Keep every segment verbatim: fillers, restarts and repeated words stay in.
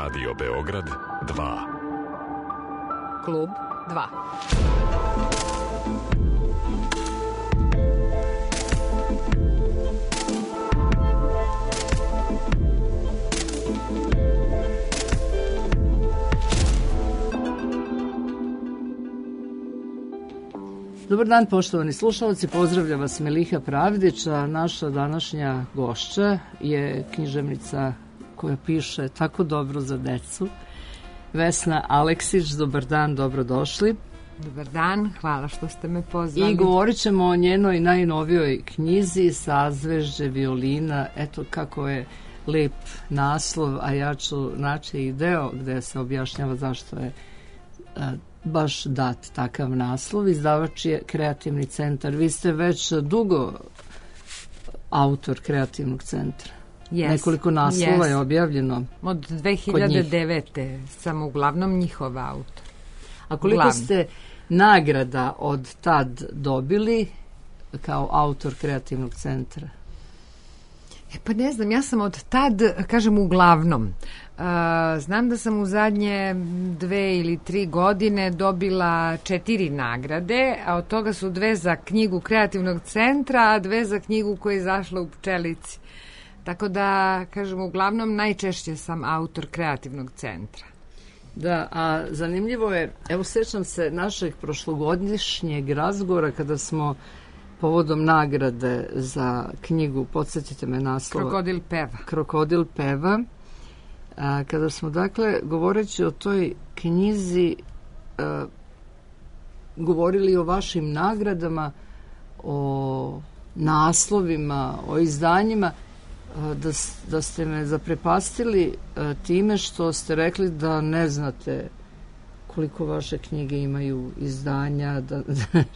Radio Beograd dva. Klub dva. Dobar dan, poštovani slušalci, pozdravlja vas Meliha Pravdić, a naša današnja gošća je književnica koja piše tako dobro za decu, Vesna Aleksić. Dobar dan, dobrodošli. Dobar dan, hvala što ste me pozvali. I govorit ćemo o njenoj najnovijoj knjizi Sazvežđe violina. Eto kako je lep naslov, a ja ću naći i deo gde se objašnjava zašto je a, baš dat takav naslov. Izdavač je Kreativni centar. Vi ste već dugo autor Kreativnog centra. Yes, Nekoliko naslova yes. je objavljeno. Od dve hiljade devete sam uglavnom njihov autor. A koliko Uglavnom. ste nagrada od tad dobili kao autor Kreativnog centra? E pa ne znam, ja sam od tad, kažem uglavnom, uh, znam da sam u zadnje dve ili tri godine dobila četiri nagrade, a od toga su dve za knjigu Kreativnog centra, a dve za knjigu koja je izašla u Pčelici. Tako da, kažem, uglavnom najčešće sam autor Kreativnog centra. Da, a zanimljivo je, evo sjećam se našeg prošlogodišnjeg razgovora kada smo povodom nagrade za knjigu, podsjetite me naslova. Krokodil peva. Krokodil peva. A, kada smo, dakle, govoreći o toj knjizi, a, govorili o vašim nagradama, o naslovima, o izdanjima, a, da, da ste me zaprepastili a, time što ste rekli da ne znate koliko vaše knjige imaju izdanja, da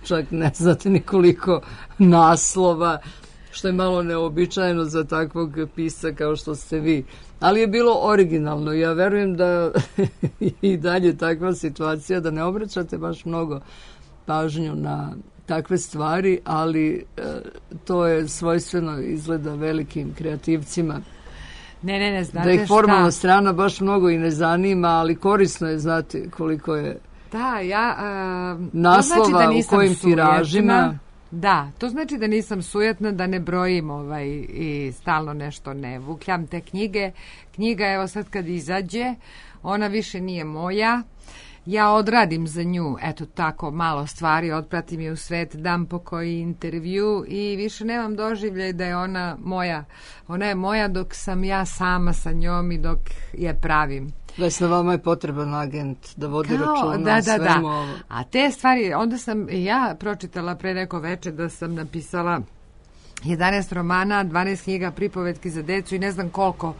čak ne znate ni koliko naslova, što je malo neobičajeno za takvog pisca kao što ste vi. Ali je bilo originalno. Ja verujem da i dalje takva situacija, da ne obraćate baš mnogo pažnju na takve stvari, ali e, to je svojstveno izgleda velikim kreativcima. Ne, ne, ne, znate da ih formalna šta? strana baš mnogo i ne zanima, ali korisno je znati koliko je da, ja, uh, naslova, to znači da nisam u kojim sujetna. tiražima. Da, to znači da nisam sujetna, da ne brojim ovaj, i stalno nešto ne vukljam te knjige. Knjiga, evo sad kad izađe, ona više nije moja. Ja odradim za nju, eto tako, malo stvari, otpratim je u svet, dam po koji intervju i više nemam doživljaj da je ona moja. Ona je moja dok sam ja sama sa njom i dok je pravim. Vesna, vama je potreban agent da vodi Kao, računa da, da, svemu da. ovo. A te stvari, onda sam ja pročitala pre neko veče da sam napisala jedanaest romana, dvanaest knjiga, pripovetki za decu i ne znam koliko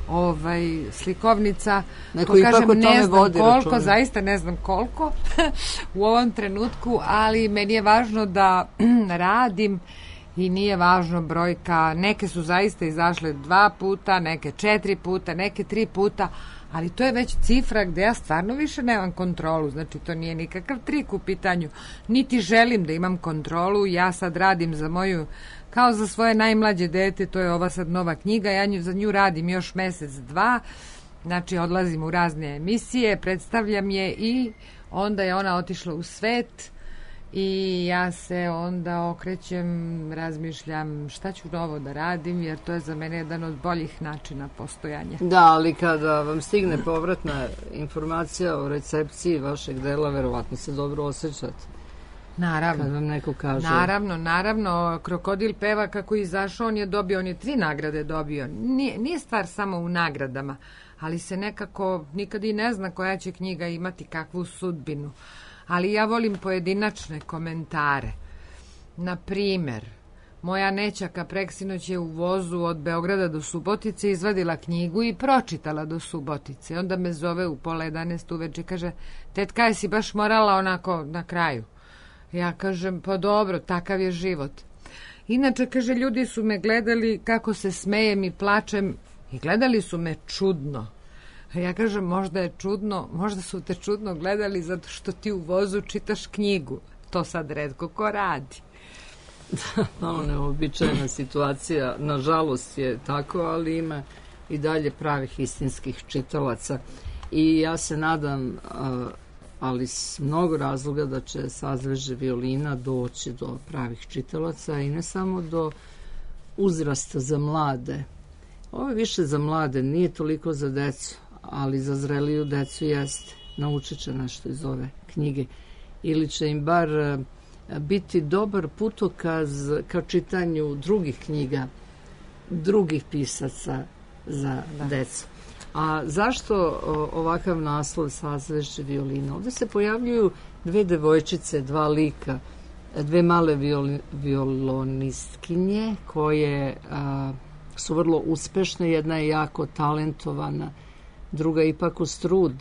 ovaj slikovnica. Neko to ipak kažem, o tome ne znam vodi koliko, računa. zaista ne znam koliko u ovom trenutku, ali meni je važno da radim i nije važno brojka. Neke su zaista izašle dva puta, neke četiri puta, neke tri puta, ali to je već cifra gde ja stvarno više nemam kontrolu, znači to nije nikakav trik u pitanju, niti želim da imam kontrolu. Ja sad radim za moju, kao za svoje najmlađe dete, to je ova sad nova knjiga, ja nju, za nju radim još mesec, dva, znači odlazim u razne emisije, predstavljam je i onda je ona otišla u svet i ja se onda okrećem, razmišljam šta ću novo da radim, jer to je za mene jedan od boljih načina postojanja. Da, ali kada vam stigne povratna informacija o recepciji vašeg dela, verovatno se dobro osjećate. Naravno. Kad vam neko kaže. Naravno, naravno. Krokodil peva kako je izašao, on je dobio, on je tri nagrade dobio. Nije, nije stvar samo u nagradama, ali se nekako nikad i ne zna koja će knjiga imati kakvu sudbinu. Ali ja volim pojedinačne komentare. Na primer, moja nećaka preksinoć je u vozu od Beograda do Subotice izvadila knjigu i pročitala do Subotice. Onda me zove u pola jedanaest uveče i kaže, tetka, jesi baš morala onako na kraju? Ja kažem, pa dobro, takav je život. Inače, kaže, ljudi su me gledali kako se smejem i plačem i gledali su me čudno. Ja kažem, možda je čudno, možda su te čudno gledali zato što ti u vozu čitaš knjigu. To sad retko ko radi. Malo neobičajna situacija, nažalost je tako, ali ima i dalje pravih istinskih čitalaca. I ja se nadam, ali s mnogo razloga, da će Sazvežđe violina doći do pravih čitalaca i ne samo do uzrasta za mlade. Ovo je više za mlade, nije toliko za decu, ali za zreliju decu jeste. Naučit će nešto iz ove knjige. Ili će im bar biti dobar putokaz ka čitanju drugih knjiga, drugih pisaca za da. decu. A zašto ovakav naslov Sazvežđe violina? Ovdje se pojavljuju dve devojčice, dva lika, dve male violi, violonistkinje koje a, su vrlo uspešne. Jedna je jako talentovana, druga ipak uz trud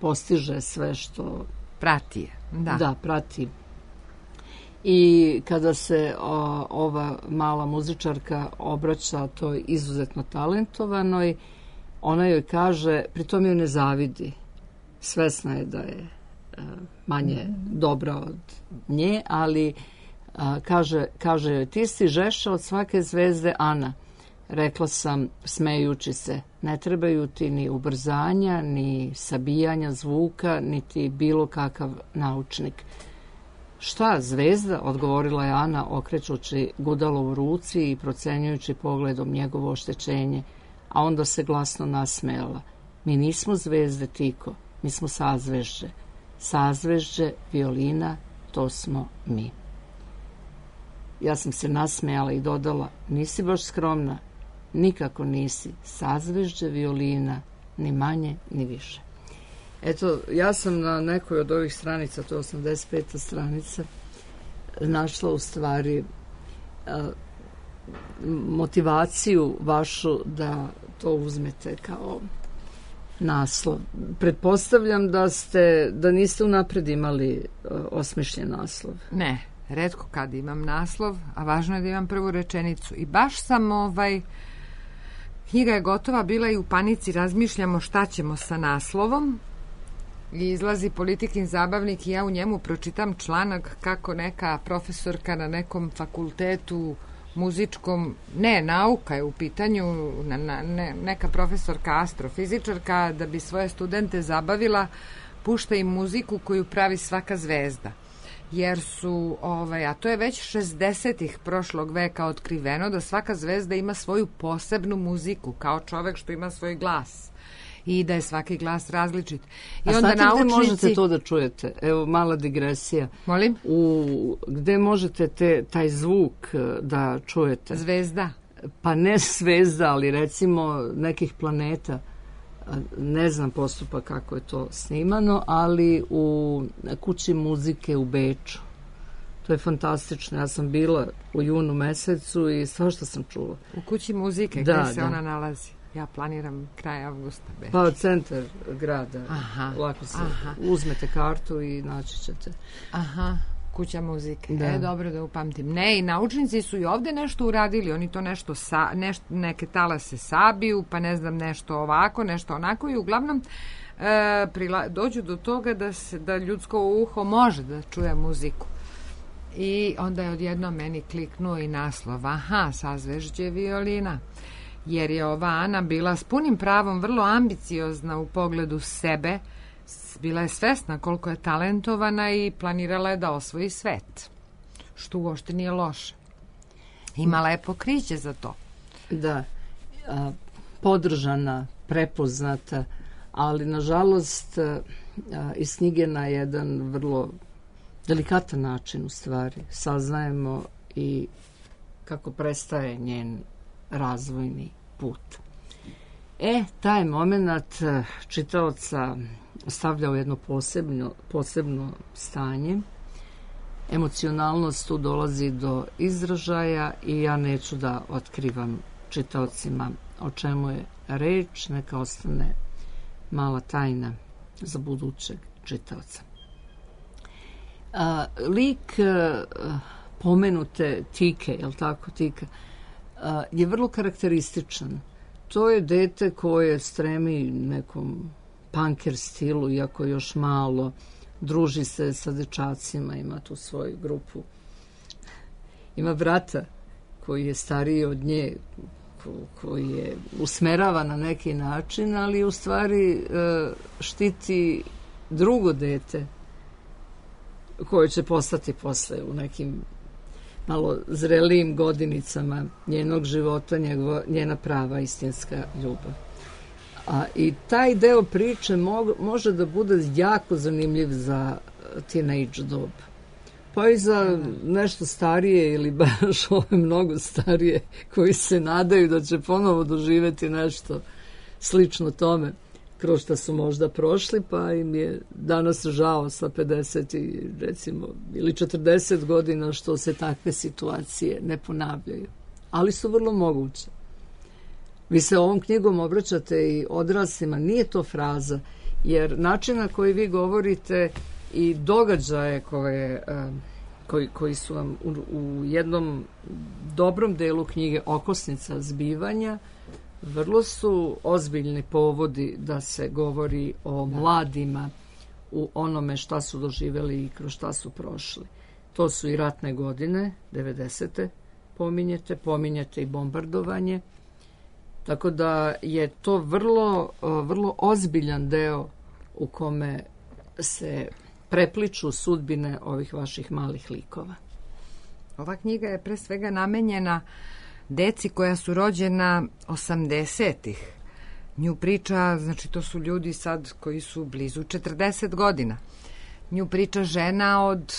postiže sve što prati je. Da. da, prati. I kada se o, ova mala muzičarka obraća toj izuzetno talentovanoj, ona joj kaže, pritom joj ne zavidi. Svesna je da je a, manje dobra od nje, ali a, kaže, kaže joj, ti si žešća od svake zvezde, Ana. Rekla sam, smejući se, ne trebaju ti ni ubrzanja, ni sabijanja zvuka, niti bilo kakav naučnik. Šta, zvezda? Odgovorila je Ana, okrećući gudalo u ruci i procenjujući pogledom njegovo oštećenje, a onda se glasno nasmejala. Mi nismo zvezde, Tiko, mi smo sazvežđe. Sazvežđe violina, to smo mi. Ja sam se nasmejala i dodala, nisi baš skromna, nikako nisi. Sazvežđe violina, ni manje, ni više. Eto, ja sam na nekoj od ovih stranica, to je osamdeset peta stranica, našla u stvari a, motivaciju vašu da to uzmete kao naslov. Pretpostavljam da ste, da niste unapred imali a, osmišljen naslov. Ne, retko kad imam naslov, a važno je da imam prvu rečenicu. I baš sam ovaj... Knjiga je gotova, bila i u panici, razmišljamo šta ćemo sa naslovom. I izlazi Politikin zabavnik i ja u njemu pročitam članak kako neka profesorka na nekom fakultetu muzičkom, ne, nauka je u pitanju, na, na, ne, neka profesorka astrofizičarka, da bi svoje studente zabavila, pušta im muziku koju pravi svaka zvezda. Jer su, ovaj, a to je već šezdesetih prošlog veka otkriveno, da svaka zvezda ima svoju posebnu muziku, kao čovek što ima svoj glas. I da je svaki glas različit. I a onda znate naučnici... gde možete to da čujete? Evo, mala digresija. Molim? U, gde možete te, taj zvuk da čujete? Zvezda. Pa ne zvezda, ali recimo nekih planeta. Ne znam postupak kako je to snimano, ali u kući muzike u Beču. To je fantastično. Ja sam bila u junu mesecu i svašta sam čula. U kući muzike, da, gde se da. ona nalazi? Ja planiram kraj avgusta. Beč. Pa centar grada. Aha, lako se aha. uzmete kartu i naći ćete. Aha, kuća muzike. Da. E, dobro da upamtim. Ne, i naučnici su i ovde nešto uradili. Oni to nešto, sa, neš, neke talase sabiju, pa ne znam, nešto ovako, nešto onako i uglavnom e, prila, dođu do toga da, se, da ljudsko uho može da čuje muziku. I onda je odjedno meni kliknuo i naslov. Aha, Sazvežđe violina. Jer je ova Ana bila s punim pravom vrlo ambiciozna u pogledu sebe, bila je svesna koliko je talentovana i planirala je da osvoji svet, što uopšte nije loše. Imala je pokriće za to. Da, a, podržana, prepoznata, ali nažalost a, iz knjige na jedan vrlo delikatan način u stvari saznajemo i kako prestaje njen razvojni put. E, taj moment čitaoca stavlja u jedno posebno, posebno stanje. Emocionalnost tu dolazi do izražaja i ja neću da otkrivam čitaocima o čemu je reč, neka ostane mala tajna za budućeg čitaoca. A, lik a, pomenute Tike, je li tako Tika, a, je vrlo karakterističan. To je dete koje stremi nekom punker stilu, iako još malo, druži se sa dečacima, ima tu svoju grupu. Ima brata koji je stariji od nje, koji je usmerava na neki način, ali u stvari štiti drugo dete koje će postati posle u nekim malo zrelijim godinicama njenog života, njegova, njena prava istinska ljubav. A i taj deo priče mo, može da bude jako zanimljiv za teenage dob. Pa i za nešto starije ili baš ove mnogo starije koji se nadaju da će ponovo doživeti nešto slično tome kroz što su možda prošli, pa im je danas žao sa pedeset i recimo ili četrdeset godina što se takve situacije ne ponavljaju. Ali su vrlo moguće. Vi se ovom knjigom obraćate i odraslima, nije to fraza, jer način na koji vi govorite i događaje koje, koji, koji su vam u, u jednom dobrom delu knjige okosnica zbivanja, vrlo su ozbiljni povodi da se govori o mladima u onome šta su doživjeli i kroz šta su prošli. To su i ratne godine, devedesete pominjete, pominjete i bombardovanje. Tako da je to vrlo, vrlo ozbiljan deo u kome se prepliču sudbine ovih vaših malih likova. Ova knjiga je pre svega namenjena deci koja su rođena osamdesetih. Nju priča, znači to su ljudi sad koji su blizu četrdeset godina. Nju priča žena od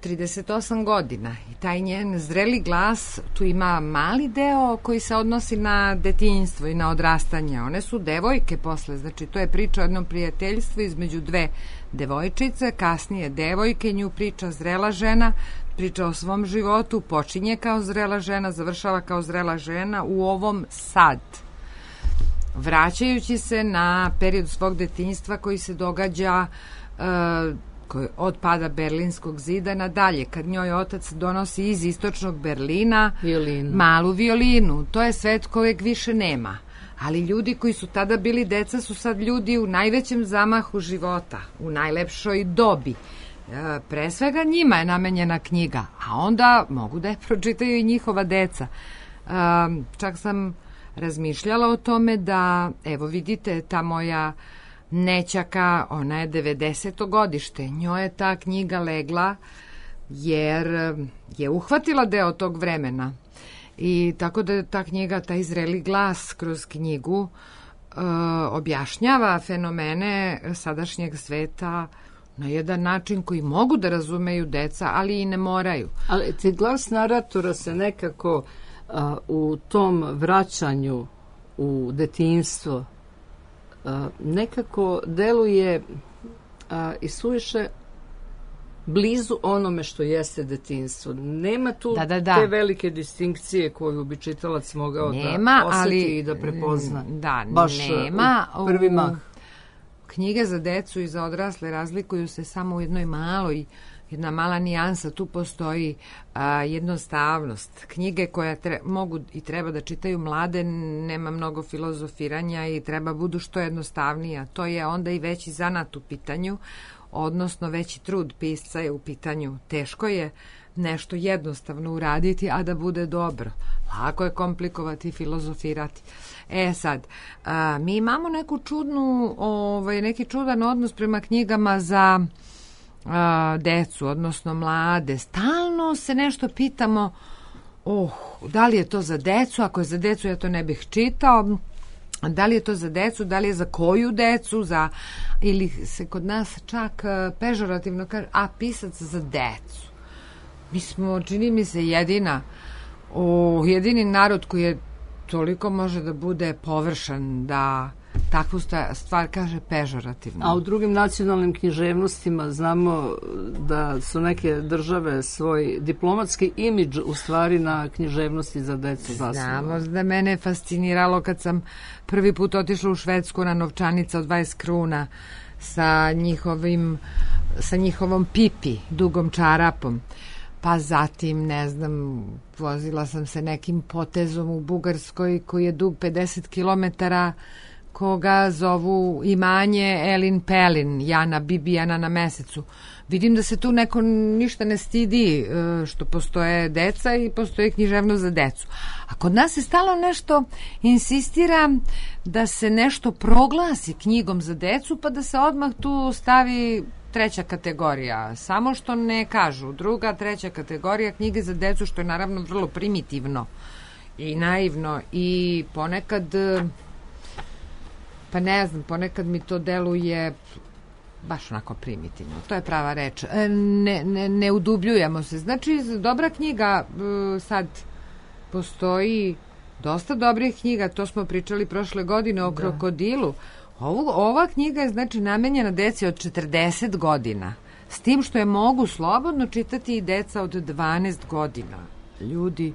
trideset osam godina i taj njen zreli glas, tu ima mali deo koji se odnosi na detinjstvo i na odrastanje. One su devojke posle, znači to je priča o jednom prijateljstvu između dve devojčice, kasnije devojke, nju priča zrela žena, priča o svom životu, počinje kao zrela žena, završava kao zrela žena u ovom sad. Vraćajući se na period svog detinjstva koji se događa uh, od pada Berlinskog zida nadalje, kad njoj otac donosi iz istočnog Berlina violinu. malu violinu. To je svet kojeg više nema. Ali ljudi koji su tada bili deca su sad ljudi u najvećem zamahu života, u najlepšoj dobi. E, pre svega njima je namenjena knjiga, a onda mogu da je pročitaju i njihova deca. E, čak sam razmišljala o tome da, evo vidite, ta moja nećaka, ona je devedeseto godište, njoj je ta knjiga legla jer je uhvatila deo tog vremena i tako da ta knjiga, taj zreli glas kroz knjigu e, objašnjava fenomene sadašnjeg sveta na jedan način koji mogu da razumeju deca, ali i ne moraju. Ali ti glas naratora se nekako a, u tom vraćanju u detinjstvo a, nekako deluje a, i suviše blizu onome što jeste detinjstvo. Nema tu da, da, da. te velike distinkcije koju bi čitalac mogao nema, da osjeti ali, i da prepozna. Da, baš nema. U prvi mah. Knjige za decu i za odrasle razlikuju se samo u jednoj maloj, jedna mala nijansa. Tu postoji a, jednostavnost. Knjige koje tre, mogu i treba da čitaju mlade, nema mnogo filozofiranja i treba budu što jednostavnija. To je onda i veći zanat u pitanju, odnosno veći trud pisca je u pitanju. Teško je nešto jednostavno uraditi, a da bude dobro. Lako je komplikovati i filozofirati. E sad, a, mi imamo neku čudnu, ovaj, neki čudan odnos prema knjigama za a, decu, odnosno mlade. Stalno se nešto pitamo, oh, da li je to za decu, ako je za decu ja to ne bih čitao, da li je to za decu, da li je za koju decu, za, ili se kod nas čak pežorativno kaže, a pisac za decu. Mi smo, čini mi se, jedina, o, jedini narod koji je toliko može da bude površan, da takvu stvar kaže pežorativno. A u drugim nacionalnim književnostima znamo da su neke države svoj diplomatski imidž u stvari na književnosti za decu zasnovali. Znamo da mene je fasciniralo kad sam prvi put otišla u Švedsku na novčanica od dvadeset kruna sa njihovim, sa njihovom pipi, dugom čarapom. Pa zatim, ne znam, vozila sam se nekim potezom u Bugarskoj koji je dug pedeset kilometara, koga zovu imanje Elin Pelin, Jana Bibijana na mesecu. vidim da se tu neko ništa ne stidi što postoje deca i postoje književnost za decu. A kod nas se stalno nešto insistira da se nešto proglasi knjigom za decu, pa da se odmah tu stavi treća kategorija. Samo što ne kažu druga, treća kategorija knjige za decu, što je naravno vrlo primitivno i naivno i ponekad, pa ne znam, ponekad mi to deluje baš onako primitivno. To je prava reč. Ne, ne, ne udubljujemo se. Znači, dobra knjiga, sad postoji dosta dobrih knjiga, to smo pričali prošle godine o da. Krokodilu. Ovo, ova knjiga je znači namenjena deci od četrdeset godina, s tim što je mogu slobodno čitati i deca od dvanaest godina. Ljudi,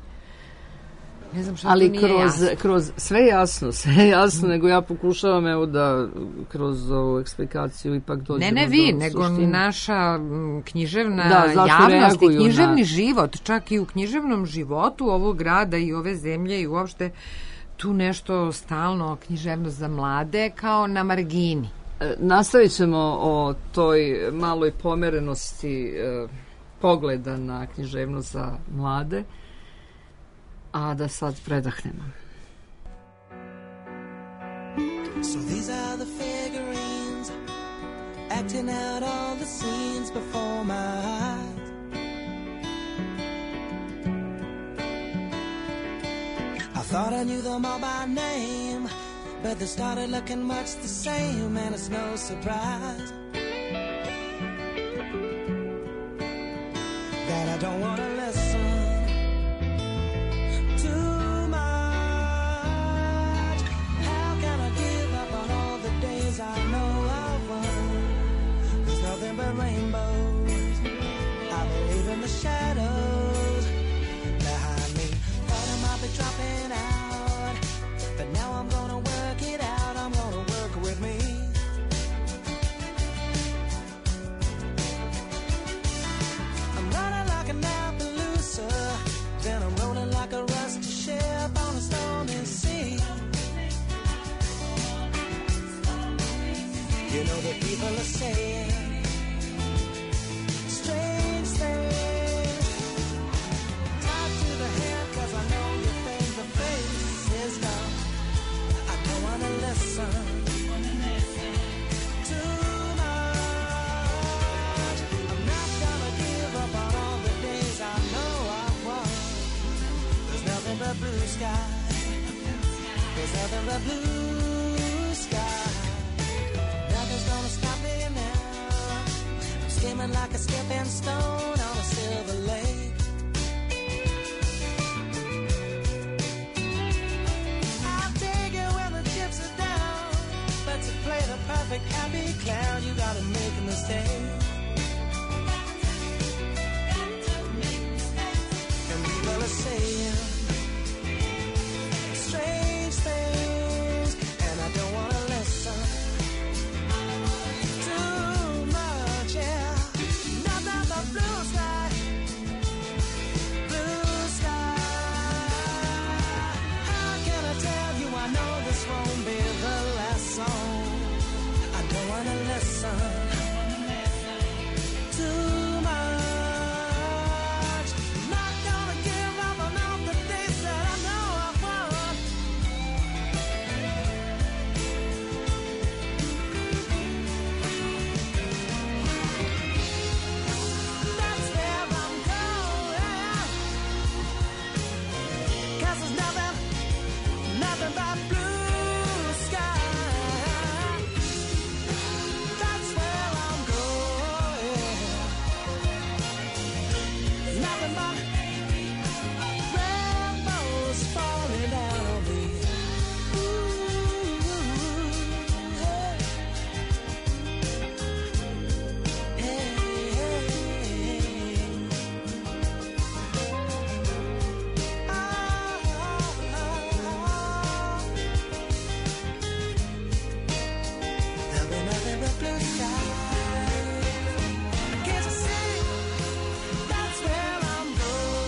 ne znam što ali to nije kroz, jasno. kroz sve jasno, sve jasno, nego ja pokušavam evo da kroz ovu eksplikaciju ipak dođemo do suštine. Ne, ne vi, nego suštine. Naša književna da, javnost i književni na... život, čak i u književnom životu ovog grada i ove zemlje i uopšte tu nešto stalno književnost za mlade kao na margini. E, nastavit ćemo o toj maloj pomerenosti e, pogleda na književnost za mlade, a da sad predahnemo. So these are the figurines acting out all the scenes before my eyes. I thought I knew them all by name, but they started looking much the same, and it's no surprise that I don't want to listen too much. How can I give up on all the days I know I've won? There's nothing but rainbows. I believe in the shadows behind me. Thought I might be dropping out, but now I'm gonna work it out. I'm gonna work with me. I'm running like an Appaloosa, then I'm rolling like a rusty ship on a stormy sea. You know the people are saying strange things. Tied to the head, cause I know you think the face is dumb. I don't wanna listen too much. I'm not gonna give up on all the days I know I've won. There's nothing but blue sky. There's nothing but blue sky. Nothing's gonna stop me now. I'm skimming like a skipping stone on a silver lake. I'll take it when the chips are down, but to play the perfect happy clown, you gotta make a mistake. And people are saying strange things, and I don't wanna listen too much, yeah. Nothing but blue sky, blue sky. How can I tell you I know this won't be the last song? I don't wanna listen too much. Not gonna give up on all the days that I know I've won. That's where I'm going. 'Cause there's nothing, nothing but blue sky. That's where I'm going. Nothing but rainbows falling down on me. Ooh, hey, hey, hey. Ah, ah, ah. There'll be nothing but blue sky. Can't you see? That's where I'm going.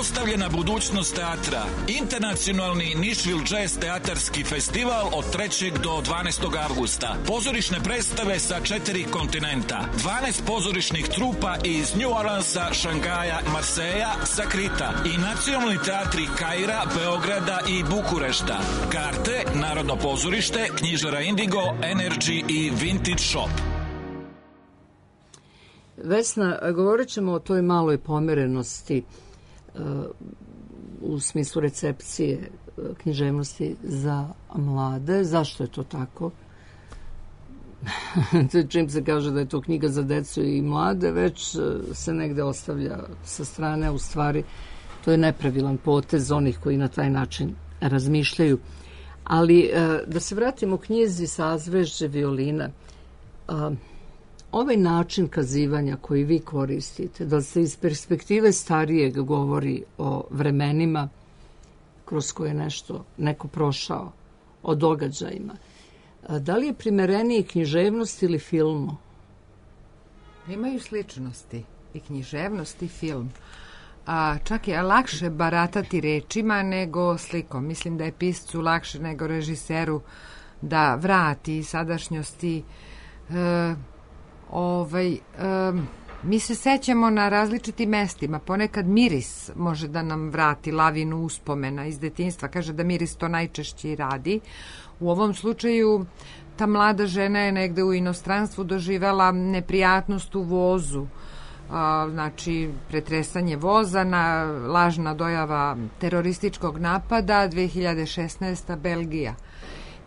Neostavljena budućnost teatra. Internacionalni Nišvil Jazz teatarski festival od trećeg do dvanaestog avgusta. Pozorišne predstave sa četiri kontinenta. dvanaest pozorišnih trupa iz New Orleansa, Šangaja, Marseja, Sakrita i nacionalni teatri Kaira, Beograda i Bukurešta. Karte, Narodno pozorište, knjižara Indigo, Energy i Vintage Shop. Vesna, govorit ćemo o toj maloj pomerenosti uh, u smislu recepcije uh, književnosti za mlade. Zašto je to tako? Čim se kaže da je to knjiga za decu i mlade, već uh, se negde ostavlja sa strane, u stvari to je nepravilan potez onih koji na taj način razmišljaju. Ali uh, da se vratimo knjizi Sazvežđe violina, uh, ovaj način kazivanja koji vi koristite, da se iz perspektive starijeg govori o vremenima kroz koje nešto neko prošao, o događajima, da li je primereniji književnost ili filmu? Imaju sličnosti i književnost i film. A čak je lakše baratati rečima nego slikom. Mislim da je piscu lakše nego režiseru da vrati sadašnjosti. E, ovaj, e, mi se sećamo na različitim mestima. Ponekad miris može da nam vrati lavinu uspomena iz detinjstva. Kaže da miris to najčešće i radi. U ovom slučaju ta mlada žena je negde u inostranstvu doživela neprijatnost u vozu. A, znači pretresanje voza, na lažna dojava terorističkog napada, dve hiljade šesnaesta. Belgija.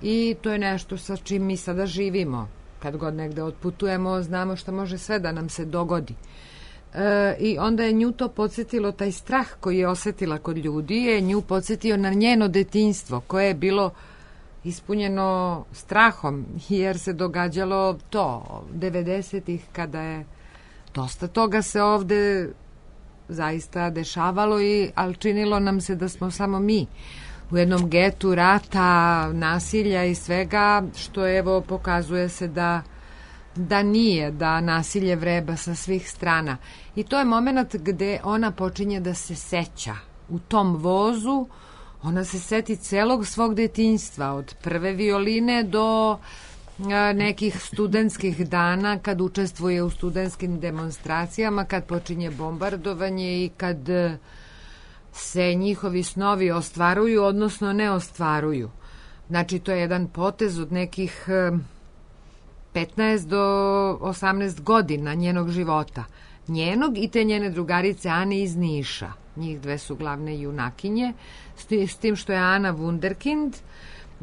I to je nešto sa čim mi sada živimo. Kad god negde otputujemo, znamo šta može sve da nam se dogodi. E, I onda je nju to podsjetilo, taj strah koji je osetila kod ljudi, je nju podsjetio na njeno detinjstvo, koje je bilo ispunjeno strahom, jer se događalo to, devedesetih, kada je dosta toga se ovde zaista dešavalo, i, ali činilo nam se da smo samo mi u jednom getu rata, nasilja i svega, što evo pokazuje se da, da nije, da nasilje vreba sa svih strana. I to je moment gde ona počinje da se seća. U tom vozu ona se seti celog svog detinjstva, od prve violine do nekih studentskih dana, kad učestvuje u studentskim demonstracijama, kad počinje bombardovanje i kad se njihovi snovi ostvaruju, odnosno ne ostvaruju. Znači, to je jedan potez od nekih petnaest do osamnaest godina njenog života. Njenog i te njene drugarice Ane iz Niša. Njih dve su glavne junakinje, s tim što je Ana wunderkind,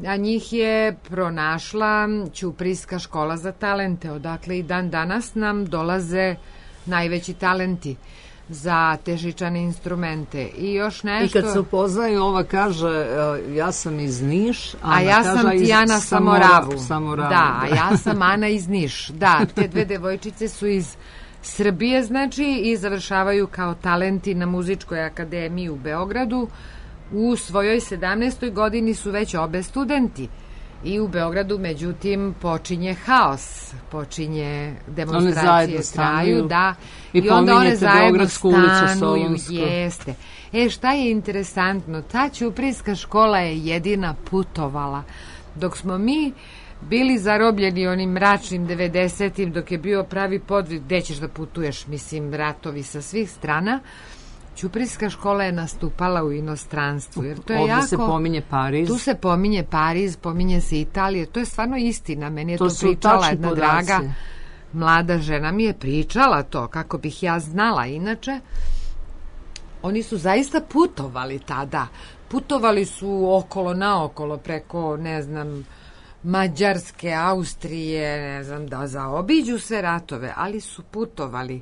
a njih je pronašla Ćuprijska škola za talente, odakle i dan danas nam dolaze najveći talenti za težičane instrumente. I još nešto... I kad se upoznaju, ova kaže ja sam iz Niš, a ja kaže, sam Tijana Samoravu. Samoravu. Da, a ja sam Ana iz Niš. Da, te dve devojčice su iz Srbije, znači, i završavaju kao talenti na Muzičkoj akademiji u Beogradu. U svojoj sedamnaestoj godini su već obe studenti. I u Beogradu, međutim, počinje haos, počinje demonstracije, traju, da, i, i onda one zajedno stanuju, jeste. E, šta je interesantno, ta Ćuprijska škola je jedina putovala, dok smo mi bili zarobljeni onim mračnim devedesetim, dok je bio pravi podvig, gde ćeš da putuješ, mislim, ratovi sa svih strana. Ćuprijska škola je nastupala u inostranstvu, jer to je ovdje jako... se pominje Pariz. Tu se pominje Pariz, pominje se Italija, to je stvarno istina. Meni je to, to pričala jedna podaci. Draga mlada žena, mi je pričala to, kako bih ja znala. Inače, oni su zaista putovali tada. Putovali su okolo naokolo, preko, ne znam, Mađarske, Austrije, ne znam, da zaobiđu sve ratove, ali su putovali.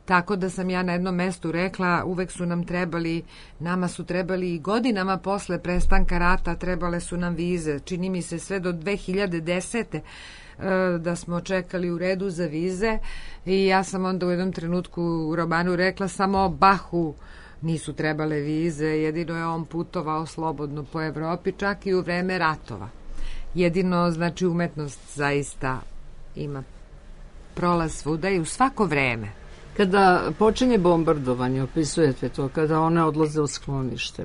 Tako da sam ja na jednom mestu rekla, uvek su nam trebali, nama su trebali i godinama posle prestanka rata, trebale su nam vize. Čini mi se sve do dve hiljade desete. da smo čekali u redu za vize, i ja sam onda u jednom trenutku u romanu rekla samo Bahu nisu trebale vize, jedino je on putovao slobodno po Evropi, čak i u vreme ratova. Jedino, znači, umetnost zaista ima prolaz svuda i u svako vreme. Kada počinje bombardovanje, opisujete to, kada one odlaze u sklonište,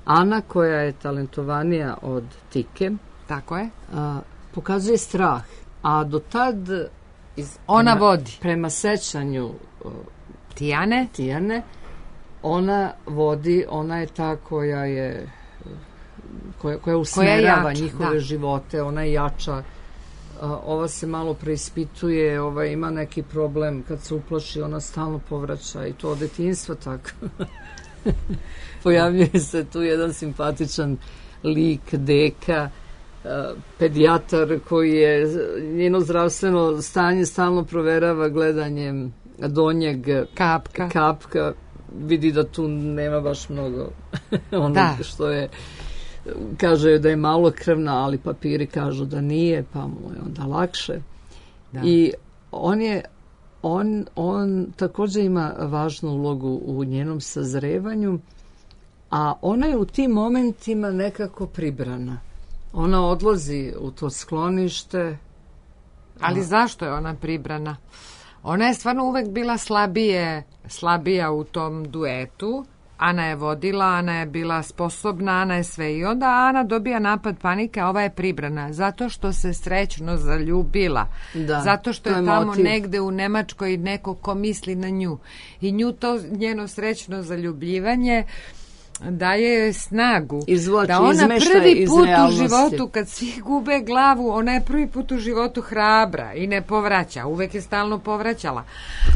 Ana, koja je talentovanija od Tike, Tako je. a, pokazuje strah, a do tad iz, Ona prema, vodi. prema sećanju o, Tijane. Tijane, ona vodi, ona je ta koja je koja, koja usmerava jača, njihove da. živote, ona je jača. A, ova se malo preispituje, ova ima neki problem, kad se uplaši ona stalno povraća i to od detinjstva tako. Pojavljuje se tu jedan simpatičan lik deka, pedijatar koji je njeno zdravstveno stanje stalno proverava gledanjem donjeg Kapka. kapka, vidi da tu nema baš mnogo ono Da. što je, kaže da je malo krvna, ali papiri kažu da nije, pa mu je onda lakše. Da. I on je on, on također ima važnu ulogu u njenom sazrevanju, a ona je u tim momentima nekako pribrana. Ona odlazi u to sklonište. Ali zašto je ona pribrana? Ona je stvarno uvek bila slabije, slabija u tom duetu. Ana je vodila, Ana je bila sposobna, Ana je sve. I onda Ana dobija napad panike, a ova je pribrana. Zato što se srećno zaljubila. Da, Zato što to je je tamo motiv. negde u Nemačkoj neko ko misli na nju. I nju to njeno srećno zaljubljivanje daje joj snagu. Izvlači, da ona izmešta prvi iz put u realnosti. životu, kad svi gube glavu, ona je prvi put u životu hrabra i ne povraća. Uvek je stalno povraćala.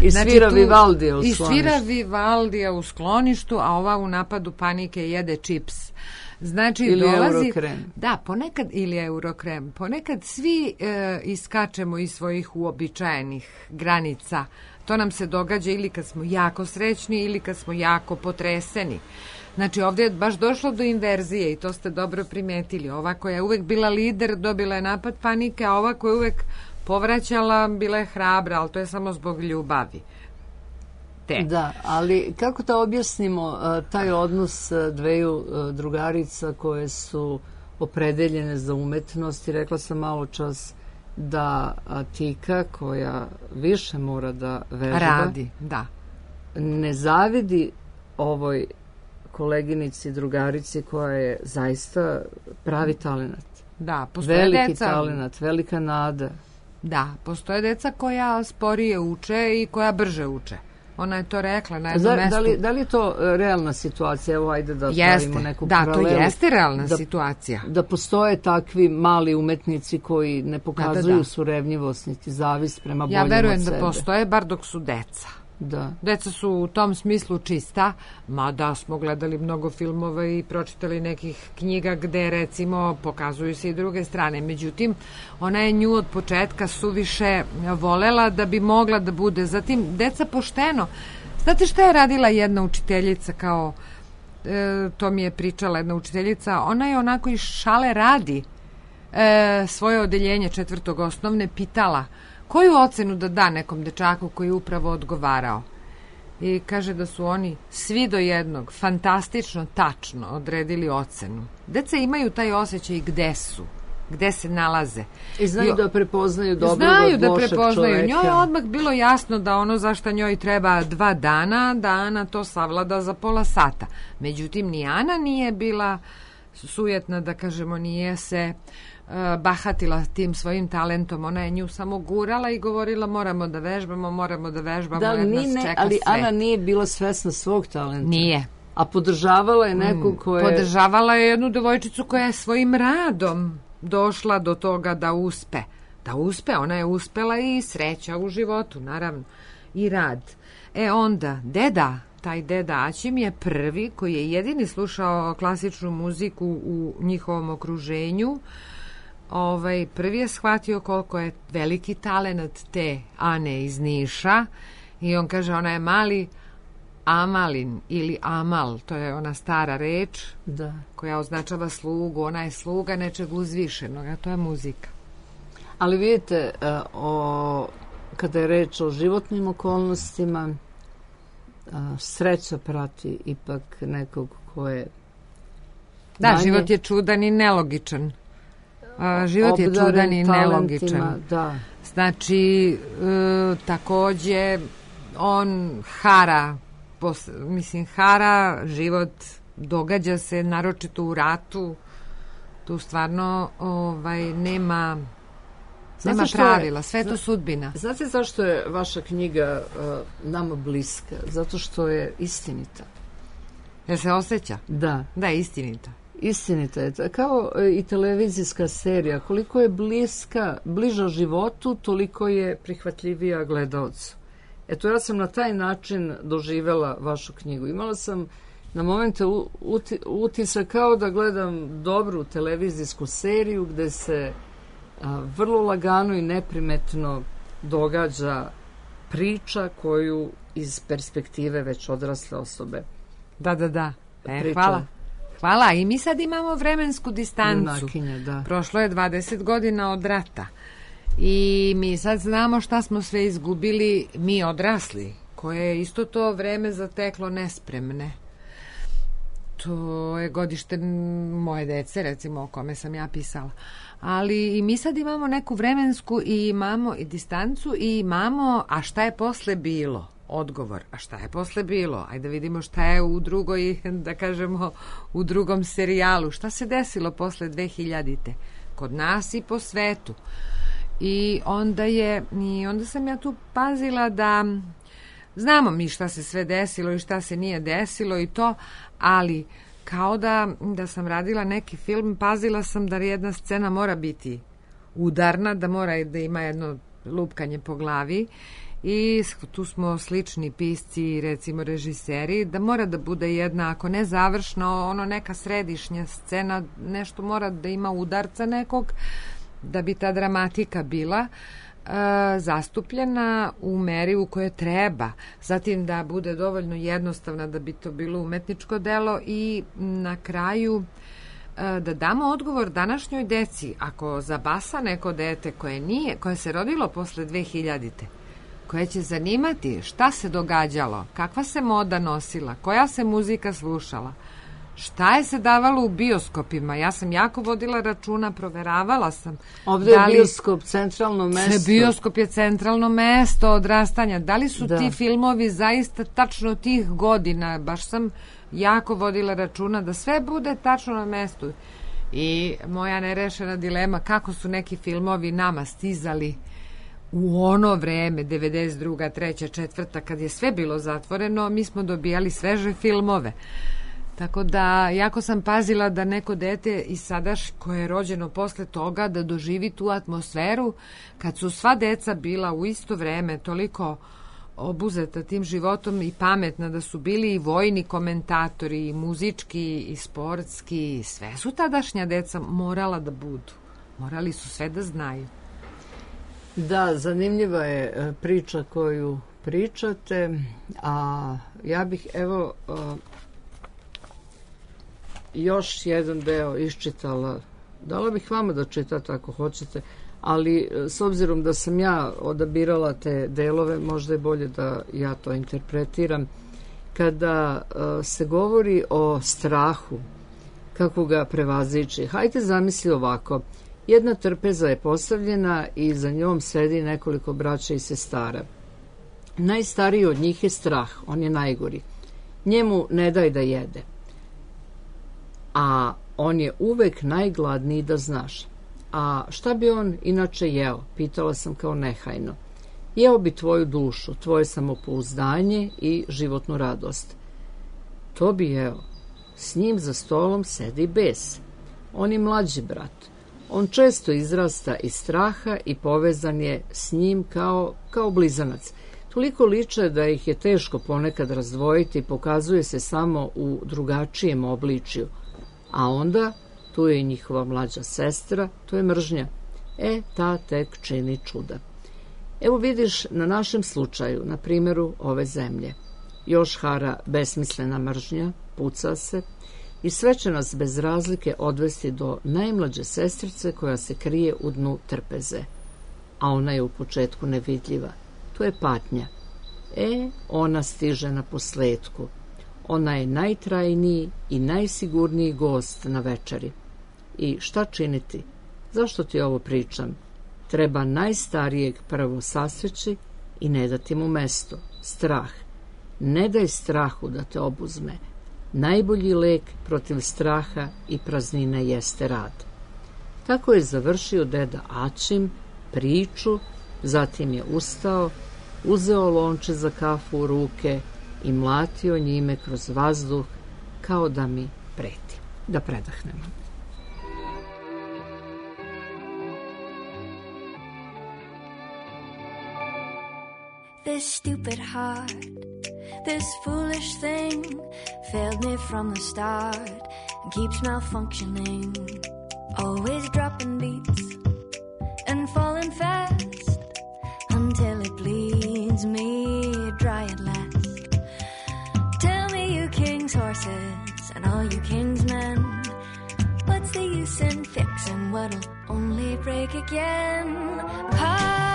I svira tu- Vivaldija u I skloništu. svira Vivaldija u skloništu, a ova u napadu panike jede čips. Znači, Ili dolazi... Eurokrem. Da, ponekad, ili Eurokrem. Ponekad svi e, iskačemo iz svojih uobičajenih granica. To nam se događa ili kad smo jako srećni ili kad smo jako potreseni. Znači, ovdje je baš došlo do inverzije i to ste dobro primetili. Ova koja je uvek bila lider dobila je napad panike, a ova koja je uvek povraćala bila je hrabra, ali to je samo zbog ljubavi. Te. Da, ali kako da objasnimo uh, taj odnos uh, dveju uh, drugarica koje su opredeljene za umetnost i rekla sam malo čas da uh, Tika, koja više mora da vežba, Radi, da. ne zavidi ovoj koleginici, drugarici koja je zaista pravi talenat. Da, postoje Veliki deca. talenat, velika nada. Da, postoje deca koja sporije uče i koja brže uče. Ona je to rekla na jednom Zar, mestu. da, li, da li je to e, realna situacija? Evo, ajde da Jeste, stavimo neku da, to paralelu. jeste realna da, situacija. Da postoje takvi mali umetnici koji ne pokazuju Da, da, da. surevnjivost niti zavist prema Ja boljem verujem od da sebe. postoje, bar dok su deca. Da. Deca su u tom smislu čista, mada smo gledali mnogo filmova i pročitali nekih knjiga gde recimo pokazuju se i druge strane. Međutim, ona je nju od početka suviše volela da bi mogla da bude. Zatim, deca pošteno. Znate šta je radila jedna učiteljica kao, e, to mi je pričala jedna učiteljica, ona je onako iz šale radi e, svoje odeljenje četvrtog osnovne pitala koju ocenu da da nekom dečaku koji je upravo odgovarao. I kaže da su oni svi do jednog fantastično, tačno odredili ocenu. Deca imaju taj osjećaj gde su, gde se nalaze. I znaju I, da prepoznaju dobrog Znaju od da lošeg prepoznaju. čoveka. Njoj je odmah bilo jasno da ono za šta njoj treba dva dana, da Ana to savlada za pola sata. Međutim, ni Ana nije bila sujetna, da kažemo, nije se uh, bahatila tim svojim talentom. Ona je nju samo gurala i govorila moramo da vežbamo, moramo da vežbamo, Da, jer nas ni ne, čeka ali sve. Ana nije bila svesna svog talenta. Nije. A podržavala je nekog ko je... Podržavala je jednu devojčicu koja je svojim radom došla do toga da uspe. Da uspe, ona je uspela i sreća u životu, naravno. I rad. E onda, deda, taj deda Aćim je prvi koji je jedini slušao klasičnu muziku u njihovom okruženju. Ovaj, prvi je shvatio koliko je veliki talenat te Ane iz Niša i on kaže ona je mali Amalin ili Amal, to je ona stara reč Da. koja označava slugu, ona je sluga nečeg uzvišenog, a to je muzika. Ali vidite, uh, o, kada je reč o životnim okolnostima, uh, sreća prati ipak nekog ko je Da, manje život je čudan i nelogičan. A, život je obdaren čudan i talentima, nelogičan. Da. Znači, e, takođe, on hara, pos, mislim, hara, život događa se, naročito u ratu, tu stvarno ovaj, nema, nema pravila, sve je to sudbina. Znate zašto je vaša knjiga uh, nama bliska? Zato što je istinita. Jer se osjeća? Da. Da, istinita. Istinita je, kao i televizijska serija, koliko je bliska, bliža životu, toliko je prihvatljivija gledaocu. Eto, ja sam na taj način doživela vašu knjigu. Imala sam na momente uti, utisak kao da gledam dobru televizijsku seriju gde se a, vrlo lagano i neprimetno događa priča koju iz perspektive već odrasle osobe. Da, da, da. E, hvala. Hvala. I mi sad imamo vremensku distancu. Junakinja, da. Prošlo je dvadeset godina od rata. I mi sad znamo šta smo sve izgubili mi odrasli, koje je isto to vreme zateklo nespremne. To je godište moje dece, recimo, o kome sam ja pisala. Ali i mi sad imamo neku vremensku i imamo i distancu i imamo, a šta je posle bilo? Odgovor, a šta je posle bilo? Ajde da vidimo šta je u drugoj, da kažemo, u drugom serijalu. Šta se desilo posle dve hiljadite? Kod nas i po svetu. I onda je, i onda sam ja tu pazila da znamo mi šta se sve desilo i šta se nije desilo i to, ali kao da, da sam radila neki film, pazila sam da jedna scena mora biti udarna, da mora da ima jedno lupkanje po glavi i tu smo slični pisci, recimo režiseri, da mora da bude jedna, ako ne završno, ono neka središnja scena, nešto mora da ima udarca nekog, da bi ta dramatika bila e, zastupljena u meri u kojoj treba. Zatim da bude dovoljno jednostavna da bi to bilo umetničko delo i na kraju e, da damo odgovor današnjoj deci. Ako zabasa neko dete koje nije, koje se rodilo posle dve hiljadite, koje će zanimati šta se događalo, kakva se moda nosila, koja se muzika slušala, šta je se davalo u bioskopima? Ja sam jako vodila računa, proveravala sam. Ovdje je bioskop centralno mesto. Bioskop je centralno mesto odrastanja. Da li su da. ti filmovi zaista tačno tih godina? Baš sam jako vodila računa da sve bude tačno na mestu. I moja nerešena dilema, kako su neki filmovi nama stizali u ono vreme, devedeset druga, treća, četvrta, kad je sve bilo zatvoreno, mi smo dobijali sveže filmove. Tako da, jako sam pazila da neko dete i sadaš koje je rođeno posle toga da doživi tu atmosferu kad su sva deca bila u isto vreme toliko obuzeta tim životom i pametna da su bili i vojni komentatori, i muzički, i sportski, sve su tadašnja deca morala da budu. Morali su sve da znaju. Da, zanimljiva je priča koju pričate, a ja bih evo još jedan deo iščitala. Dala bih vama da čitate ako hoćete, ali s obzirom da sam ja odabirala te delove, možda je bolje da ja to interpretiram. Kada uh, se govori o strahu, kako ga prevazići, hajde zamisli ovako. Jedna trpeza je postavljena i za njom sedi nekoliko braća i sestara. Najstariji od njih je strah, on je najgori. Njemu ne daj da jede. A on je uvek najgladniji, da znaš. A šta bi on inače jeo? Pitala sam kao nehajno. Jeo bi tvoju dušu, tvoje samopouzdanje i životnu radost. To bi jeo. S njim za stolom sedi bes. On je mlađi brat. On često izrasta iz straha i povezan je s njim kao, kao blizanac. Toliko liče da ih je teško ponekad razdvojiti, pokazuje se samo u drugačijem obličju. A onda, tu je i njihova mlađa sestra, to je mržnja. E, ta tek čini čuda. Evo vidiš na našem slučaju, na primjeru ove zemlje. Još hara besmislena mržnja, puca se i sve će nas bez razlike odvesti do najmlađe sestrice koja se krije u dnu trpeze. A ona je u početku nevidljiva. To je patnja. E, ona stiže na posledku. Ona je najtrajniji i najsigurniji gost na večeri. I šta činiti? Zašto ti ovo pričam? Treba najstarijeg prvo sasreći, i ne dati mu mesto. Strah. Ne daj strahu da te obuzme. Najbolji lek protiv straha i praznine jeste rad. Tako je završio deda Ačim priču, zatim je ustao, uzeo lonče za kafu u ruke i mlatio njime kroz vazduh kao da mi preti. Da predahnemo. This stupid heart, this foolish thing, failed me from the start and keeps malfunctioning. Always dropping beats and falling fast until it bleeds me dry at last. Tell me, you king's horses and all you king's men, what's the use in fixing what'll only break again? Heartbroken,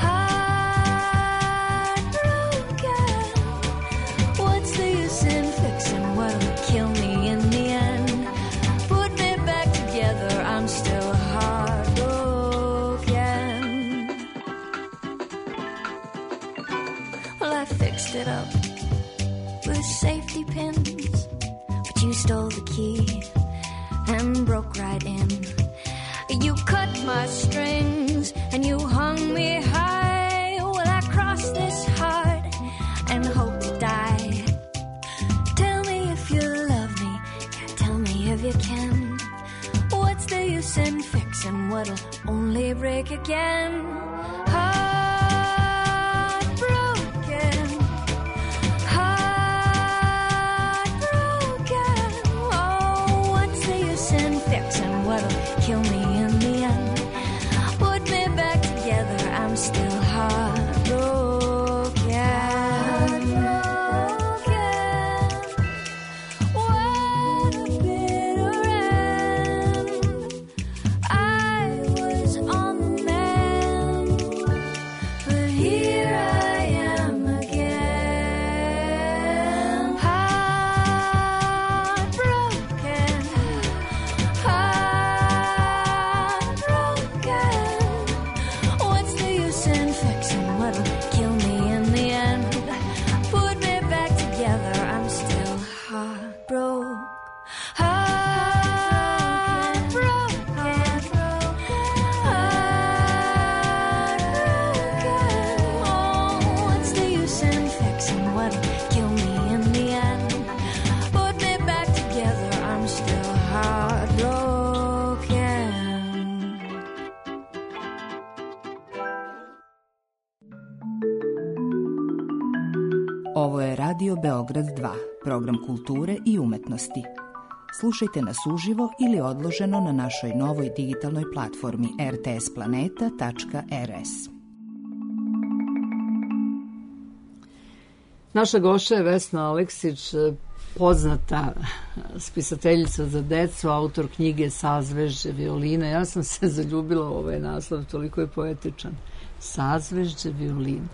heartbroken, what's the use in fixing what'll kill me in the end? Put me back together, I'm still heartbroken. Well, I fixed it up with safety pins, but you stole the key and broke right in. You cut my strings and you hung me high. Well, I crossed this heart and hope to die. Tell me if you love me, yeah, tell me if you can. What's the use in fixing what'll only break again? Heartbroken, heartbroken, oh, what's the use in fixing what'll kill me in the end? Put me back together, I'm still heartbroken. Heartbroken, what a bitter end. I was on the mend, but here I am again. Heartbroken, heartbroken, what's the use in fixing what'll kill me in the end? Put me back together, I'm still heartbroken. Heartbroken, heartbroken, oh, what's the use in fixing what'll kill me in the end? Put me back together, I'm still heartbroken. Ovo je Radio Beograd dva, program kulture i umetnosti. Slušajte nas uživo ili odloženo na našoj novoj digitalnoj platformi r t s planeta tačka r s. Naša gošća je Vesna Aleksić, poznata spisateljica za decu, autor knjige Sazvežđe violine. Ja sam se zaljubila u ovaj naslov, toliko je poetičan. Sazvežđe violine.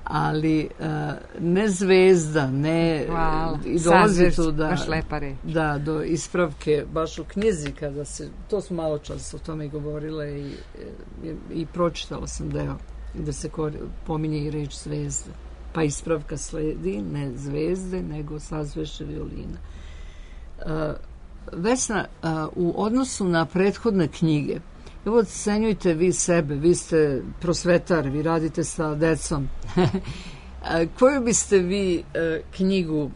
Ali uh, ne zvezda, ne... Hvala. I dolazi tu da, baš lepa reč. Da, do ispravke, baš u knjizi, kada se, to smo malo čas o tome govorile i, i, i pročitala sam deo da se kori, pominje i reč zvezda. Pa ispravka sledi, ne zvezde, nego sazvežđe violina. Uh, Vesna, uh, u odnosu na prethodne knjige, evo, cenjujte vi sebe, vi ste prosvetar, vi radite sa decom. Koju biste vi uh, knjigu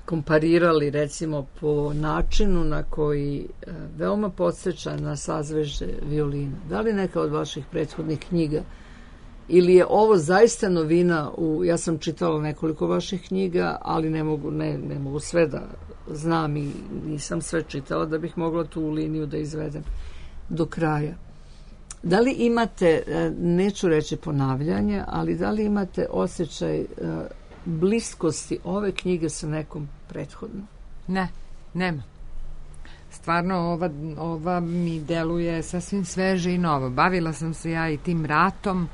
komparirali, recimo, po načinu na koji uh, veoma podsjeća na sazvežđe violina? Da li neka od vaših prethodnih knjiga ili je ovo zaista novina? U, ja sam čitala nekoliko vaših knjiga, ali ne mogu, ne, ne mogu sve da znam i nisam sve čitala da bih mogla tu liniju da izvedem do kraja. Da li imate, neću reći ponavljanje, ali da li imate osjećaj bliskosti ove knjige sa nekom prethodnom? Ne, nema. Stvarno, ova, ova mi deluje sasvim sveže i novo. Bavila sam se ja i tim ratom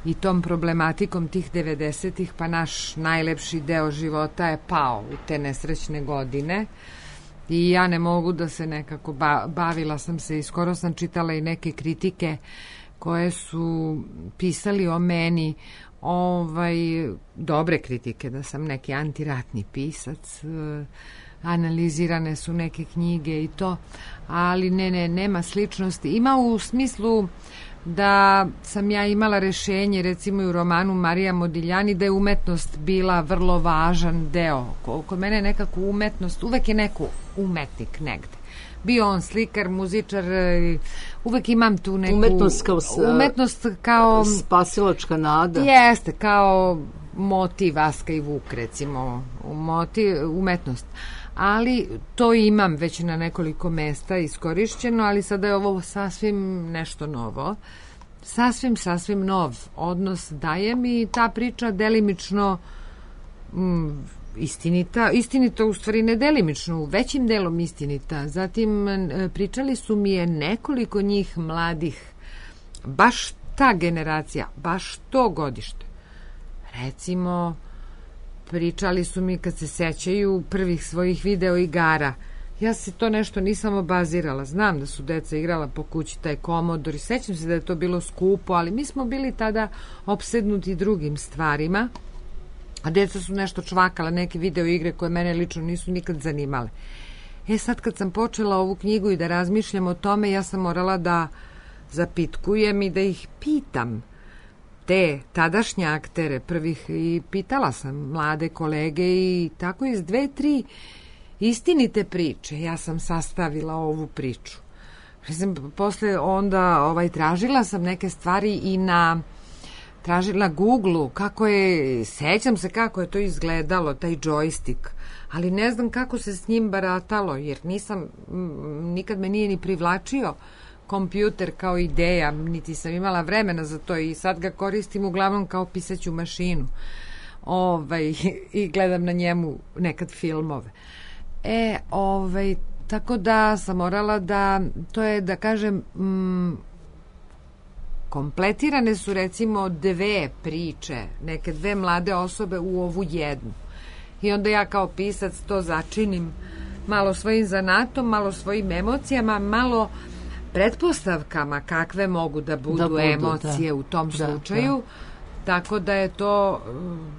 i tom problematikom tih devedesetih, pa naš najlepši deo života je pao u te nesrećne godine. I ja ne mogu da se nekako ba, bavila sam se i skoro sam čitala i neke kritike koje su pisali o meni ovaj, dobre kritike, da sam neki antiratni pisac, analizirane su neke knjige i to, ali ne, ne, nema sličnosti. Ima u smislu da sam ja imala rešenje, recimo i u romanu Marija Modigliani, da je umetnost bila vrlo važan deo. Kod mene je nekako umetnost, uvek je neko umetnik negde. Bio on slikar, muzičar, uvek imam tu neku... Umetnost kao, umetnost kao spasilačka nada. Jeste, kao motiv Vaska i Vuk, recimo, motiv, umetnost. Ali to imam već na nekoliko mesta iskorišćeno, ali sada je ovo sasvim nešto novo. Sasvim, sasvim nov odnos daje mi ta priča delimično mm, istinita, istinita u stvari ne delimično, većim delom istinita. Zatim pričali su mi je nekoliko njih mladih, baš ta generacija, baš to godište. Recimo, pričali su mi kad se sećaju prvih svojih video igara. Ja se to nešto nisam obazirala. Znam da su deca igrala po kući taj Commodore i sećam se da je to bilo skupo, ali mi smo bili tada opsednuti drugim stvarima, a deca su nešto čvakala, neke video igre koje mene lično nisu nikad zanimale. E sad kad sam počela ovu knjigu i da razmišljam o tome, ja sam morala da zapitkujem i da ih pitam te tadašnje aktere prvih i pitala sam mlade kolege i tako iz dve, tri istinite priče ja sam sastavila ovu priču. Mislim, posle onda ovaj, tražila sam neke stvari i na tražila Google-u kako je, sećam se kako je to izgledalo, taj joystick, ali ne znam kako se s njim baratalo, jer nisam, nikad me nije ni privlačio kompjuter kao ideja, niti sam imala vremena za to i sad ga koristim uglavnom kao pisaću mašinu. Ovaj, i gledam na njemu nekad filmove. E, ovaj, tako da sam morala da, to je da kažem, mm, kompletirane su recimo dve priče, neke dve mlade osobe u ovu jednu. I onda ja kao pisac to začinim malo svojim zanatom, malo svojim emocijama, malo pretpostavkama kakve mogu da budu, da budu emocije da. U tom da, slučaju. Da. Tako da je to,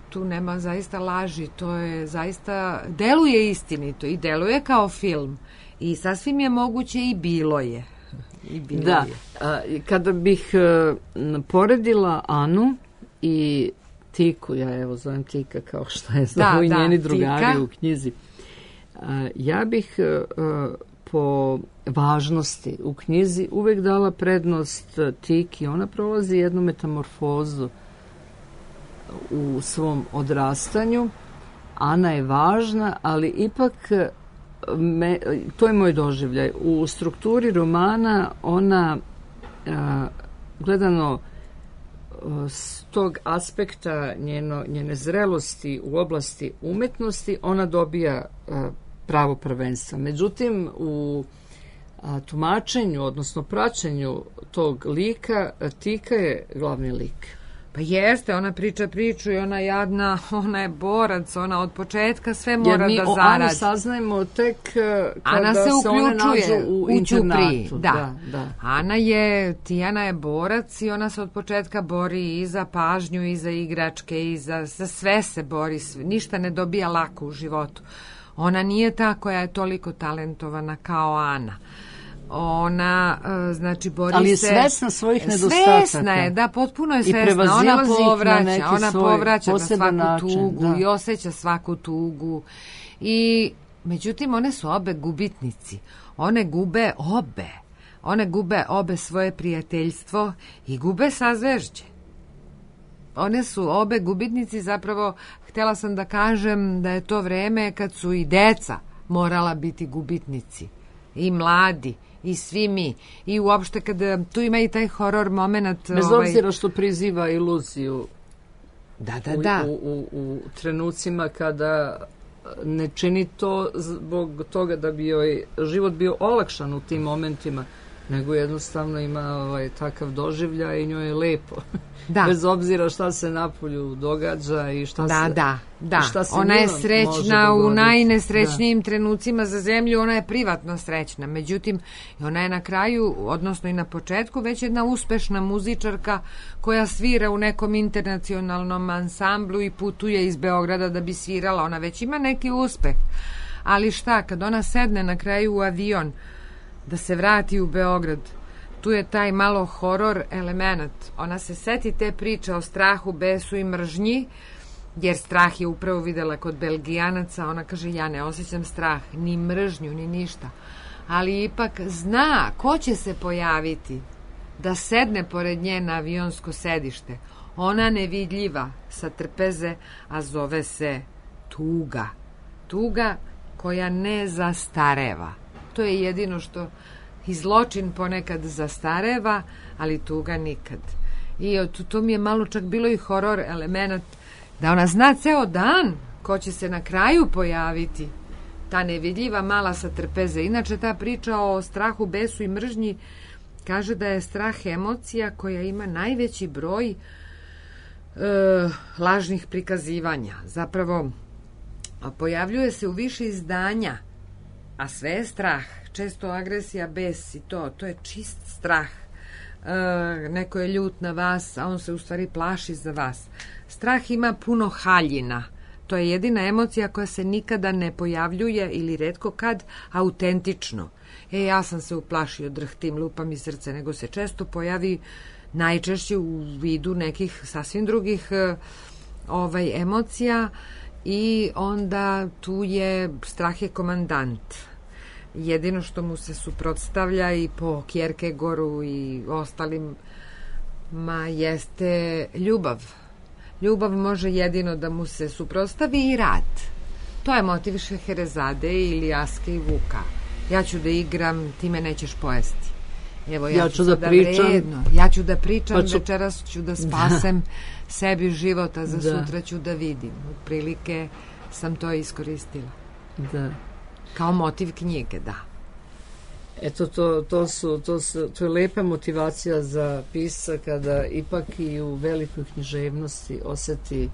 tu nema zaista laži, to je zaista, deluje istinito i deluje kao film. I sasvim je moguće i bilo je. I bilo da, je. A, kada bih uh, poredila Anu i Tiku, ja evo zovem Tika kao što je zovu i njeni drugari Tika u knjizi, uh, ja bih uh, po važnosti u knjizi uvek dala prednost Tiki. Ona prolazi jednu metamorfozu u svom odrastanju. Ana je važna, ali ipak me, to je moj doživljaj. U strukturi romana ona a, gledano s tog aspekta njeno, njene zrelosti u oblasti umetnosti ona dobija a, pravo prvenstva. Međutim, u a, tumačenju, odnosno praćenju tog lika, Tika je glavni lik. Pa jeste, ona priča priču i ona jadna, ona je borac, ona od početka sve mora da zaradi. Jer mi o Ani saznajemo tek kada Ana se, se one nađu u internatu. Da. Da, da. Ana je, Tijana je borac i ona se od početka bori i za pažnju, i za igračke, i za, za sve se bori, ništa ne dobija lako u životu. Ona nije ta koja je toliko talentovana kao Ana. Ona, znači, bori se... Ali je svesna svojih nedostataka. Svesna je, da, potpuno je svesna. Ona povraća, ona povraća na svaku način, tugu da. I osjeća svaku tugu. I, međutim, one su obe gubitnici. One gube obe. One gube obe svoje prijateljstvo i gube sazvežđe. One su obe gubitnici, zapravo, htjela sam da kažem da je to vreme kad su i deca morala biti gubitnici. I mladi. I svi mi. I uopšte kada tu ima i taj horor moment. Bez ovaj... obzira što priziva iluziju. Da, da, da. U, u, u trenucima kada ne čini to zbog toga da bi joj život bio olakšan u tim momentima, nego jednostavno ima ovaj, takav doživljaj i njoj je lepo. Da. Bez obzira šta se napolju događa i šta da, se... Da, da, šta se ona je njima srećna može u dogoditi. najnesrećnijim trenucima za zemlju, ona je privatno srećna. Međutim, ona je na kraju, odnosno i na početku, već jedna uspešna muzičarka koja svira u nekom internacionalnom ansamblu i putuje iz Beograda da bi svirala. Ona već ima neki uspeh. Ali šta, kad ona sedne na kraju u avion da se vrati u Beograd, tu je taj malo horor element. Ona se seti te priče o strahu, besu i mržnji, jer strah je upravo videla kod Belgijanaca. Ona kaže, ja ne osjećam strah, ni mržnju, ni ništa. Ali ipak zna ko će se pojaviti da sedne pored nje na avionsko sedište. Ona nevidljiva, sa trpeze, a zove se tuga. Tuga koja ne zastareva. To je jedino što i zločin ponekad zastareva, ali tuga nikad. I to mi je malo čak bilo i horor element, da ona zna ceo dan ko će se na kraju pojaviti. Ta nevidljiva mala sa trpeze. Inače, ta priča o strahu, besu i mržnji kaže da je strah emocija koja ima najveći broj e, lažnih prikazivanja. Zapravo, pojavljuje se u više izdanja, a sve je strah. Često agresija, bes i to, to je čist strah. E, neko je ljut na vas, a on se u stvari plaši za vas. Strah ima puno haljina. To je jedina emocija koja se nikada ne pojavljuje ili retko kad autentično. E, ja sam se uplašio, drhtim, lupa mi srce, nego se često pojavi najčešće u vidu nekih sasvim drugih e, ovaj, emocija i onda tu je strah je komandant. Jedino što mu se suprotstavlja i po Kierkegaardu i ostalim ma jeste ljubav. Ljubav može jedino da mu se suprotstavi i rad. To je motiv Šeherezade ili Aske i Vuka. Ja ću da igram, ti me nećeš pojesti. Evo, ja, ja ću ću da pričam. Vredno. Ja ću da pričam, pa ću... večeras ću da spasem da. sebi života, za da. sutra ću da vidim. Otprilike sam to iskoristila. Da. Kao motiv knjige, da. Eto, to, to, su, to, su, to je lepa motivacija za pisca kada ipak i u velikoj književnosti oseti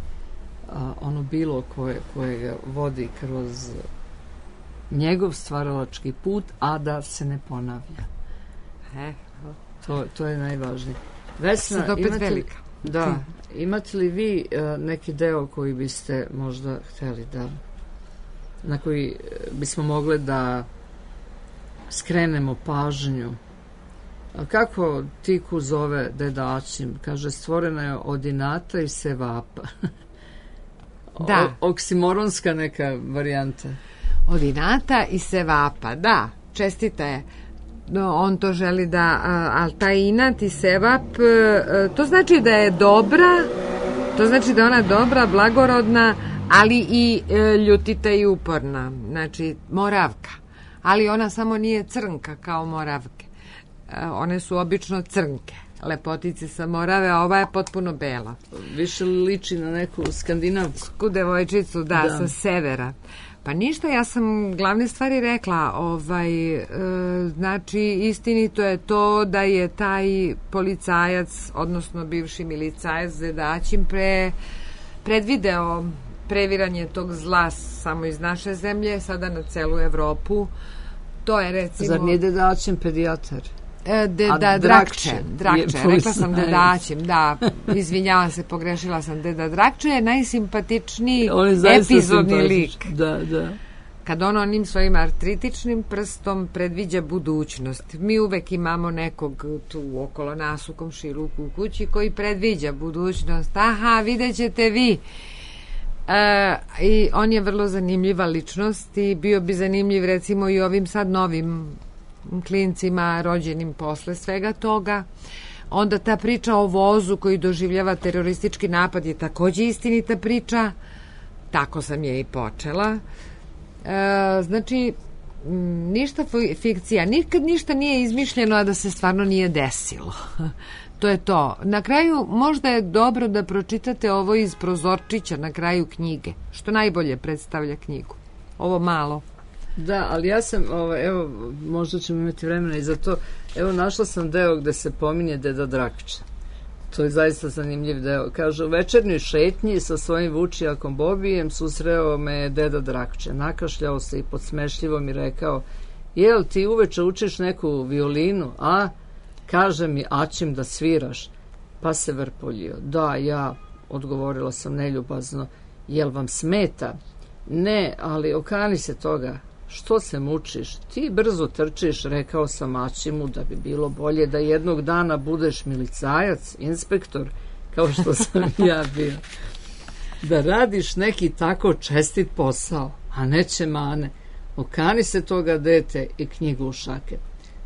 a, ono bilo koje, koje ga vodi kroz njegov stvaralački put, a da se ne ponavlja. E, to, to je najvažnije. Vesna, sad opet imate li, velika. da, imate li vi a, neki deo koji biste možda hteli da, na koji bismo mogli da skrenemo pažnju? A kako Tiku zove Deda Ačim? Kaže, stvorena je od inata i sevapa. Da. O, oksimoronska neka varijanta. Od inata i sevapa, da. Čestita je. No, on to želi da, ali taj inat i sevap, to znači da je dobra, to znači da je ona dobra, blagorodna, ali i ljutita i uporna. Znači, Moravka. Ali ona samo nije crnka kao Moravke. One su obično crnke, lepotice sa Morave, a ova je potpuno bela. Više liči na neku skandinavsku devojčicu, da, da, sa severa. Pa ništa, ja sam glavne stvari rekla. Ovaj, e, znači, istinito je to da je taj policajac, odnosno bivši milicajac Zedaćim pre, predvideo previranje tog zla samo iz naše zemlje, sada na celu Evropu. To je recimo... Zar nije Dedaćim pedijatar? E, deda Drakče. Drakče, rekla sam Dedaćim, da, izvinjavam se, pogrešila sam. Deda Drakče je najsimpatičniji epizodni lik. Da, da. Kad on onim svojim artritičnim prstom predviđa budućnost. Mi uvek imamo nekog tu okolo nas u komšiluku u kući koji predviđa budućnost. Aha, vidjet ćete vi. E, i on je vrlo zanimljiva ličnost i bio bi zanimljiv recimo i ovim sad novim klincima rođenim posle svega toga. Onda ta priča o vozu koji doživljava teroristički napad je takođe istinita priča. Tako sam je i počela. E, znači, ništa fikcija. Nikad ništa nije izmišljeno, a da se stvarno nije desilo. To je to. Na kraju možda je dobro da pročitate ovo iz prozorčića na kraju knjige, što najbolje predstavlja knjigu. Ovo malo. Da, ali ja sam, ovaj, evo, možda ćemo imati vremena i za to, evo našla sam deo gde se pominje Deda Drakča. To je zaista zanimljiv deo. Kaže, u večernjoj šetnji sa svojim vučijakom Bobijem susreo me Deda Drakče. Nakašljao se i podsmešljivo mi rekao, jel ti uveče učiš neku violinu, a? Kaže mi, aćim da sviraš. Pa se vrpoljio. Da, ja, odgovorila sam neljubazno, jel vam smeta? Ne, ali okani se toga. Što se mučiš? Ti brzo trčiš, rekao sam Aćimu da bi bilo bolje da jednog dana budeš milicajac, inspektor, kao što sam ja bio. Da radiš neki tako čestit posao, a neće mane. Okani se toga, dete, i knjigu u šake.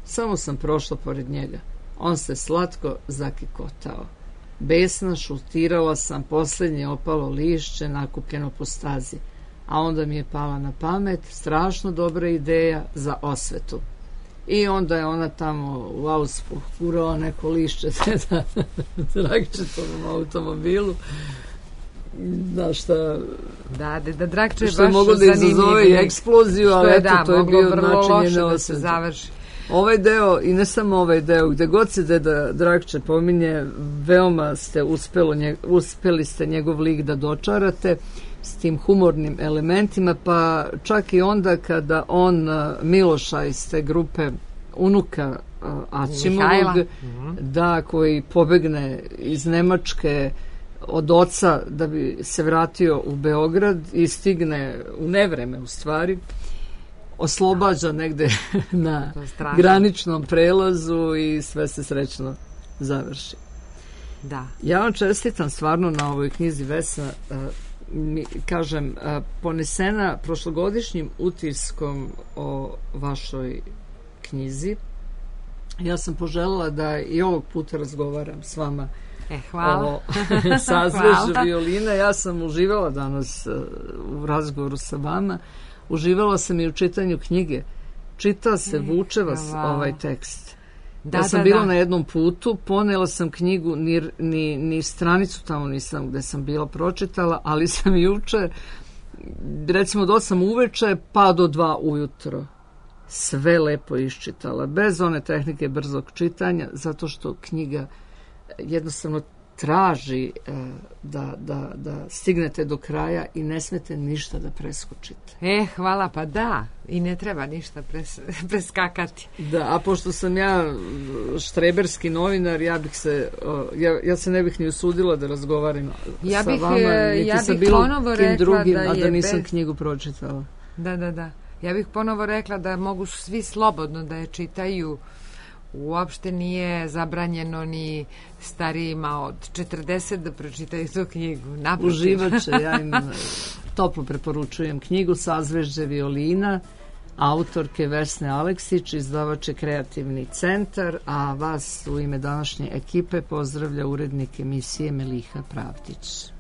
Samo sam prošla pored njega. On se slatko zakikotao. Besna šutirala sam posljednje opalo lišće nakupljeno po stazi. A onda mi je pala na pamet strašno dobra ideja za osvetu. I onda je ona tamo u Auspuh kurala neko lišće Deda Drakčetovom automobilu. Znaš šta... Da, Deda Drakče je baš što je moglo da izazove i eksploziju, ali eto, da, to je bio način njene da se završi. Ovaj deo, i ne samo ovaj deo, gde god se Deda Drakče pominje, veoma ste uspelo, nje, uspeli ste njegov lik da dočarate s tim humornim elementima, pa čak i onda kada on Miloša iz te grupe unuka Aćimovog, da, koji pobegne iz Nemačke od oca da bi se vratio u Beograd i stigne u nevreme u stvari, oslobađa negde na graničnom prelazu i sve se srećno završi. Da. Ja vam čestitam stvarno na ovoj knjizi, Vesna, mi, kažem, ponesena prošlogodišnjim utiskom o vašoj knjizi. Ja sam poželjela da i ovog puta razgovaram s vama e, hvala. o sazvežđu violine. Ja sam uživala danas u razgovoru sa vama. Uživala sam i u čitanju knjige. Čita se, vuče vas ovaj tekst. Da, ja sam da, bila da. na jednom putu, ponela sam knjigu, ni, ni, ni stranicu tamo nisam gde sam bila pročitala, ali sam juče, recimo od osam uveče pa do dva ujutro, sve lepo iščitala, bez one tehnike brzog čitanja, zato što knjiga jednostavno traži uh, da, da, da stignete do kraja i ne smete ništa da preskočite. E, hvala, pa da, i ne treba ništa pres, preskakati. Da, a pošto sam ja štreberski novinar, ja bih se, uh, ja, ja se ne bih ni usudila da razgovaram ja sa bih, vama, niti ja sa bih bilo ponovo kim rekla drugim, da a da je nisam bez... knjigu pročitala. Da, da, da. Ja bih ponovo rekla da mogu svi slobodno da je čitaju. Uopšte nije zabranjeno ni starijima od četrdeset da pročitaju tu knjigu. Naprotiv. Uživat će, ja im toplo preporučujem knjigu Sazvežđe violina, autorke Vesne Aleksić, izdavač je Kreativni centar, a vas u ime današnje ekipe pozdravlja urednik emisije Meliha Pravdić.